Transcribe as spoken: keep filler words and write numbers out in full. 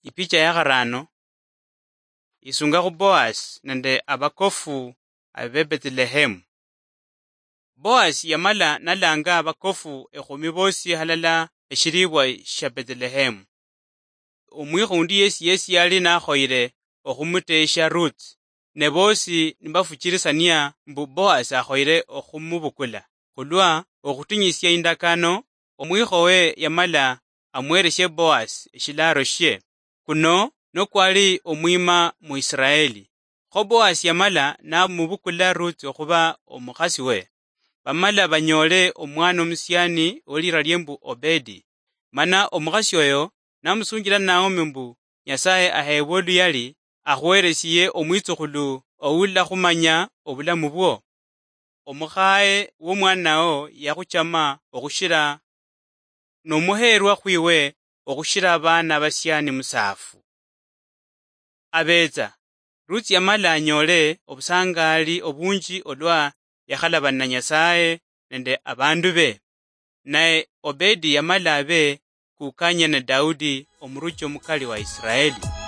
Ipicha ya kharano, isunga khu Boasi nende abakofu abe Bethlehemu. Boasi yamala nalanga abakofu ekhumi bosi halala eshilibwa shia Bethlehemu. Omwikho undi yesi yesi yali nakhoyile okhumutesha Ruth, ne bosi nibafuchilisania mbu Boasi akhoyile okhumubukula. Khulwa okhutinyisia indakano, omwikhowe yamala amwereshe Boasi eshilaaro shie. Kuno nokwali omwima mu Isiraeli. Kho Boasi yamala namubukula Ruth okhuba omukhasi we. Bamala banyoole omwana omusiani olira lie mbu Obedi. Mana omukhasi oyo namusunjila Naomi mbu Nyasaye aheebwe oluyali, akhweresie omwitsukhulu oulakhumanya obulamu bwo. Omukhaye womwanawo yakhuchama okhushira, nomuheerwa khwiwe okhushira abaana basiani musaafu. Abetsa, Ruth yamala anyoole obusangaali obunji olwa yakhalabana Nyasaye nende abandu be. Naye Obedi yamala abe kukanye ne Daudi omuruchi omukali wa Isiraeli.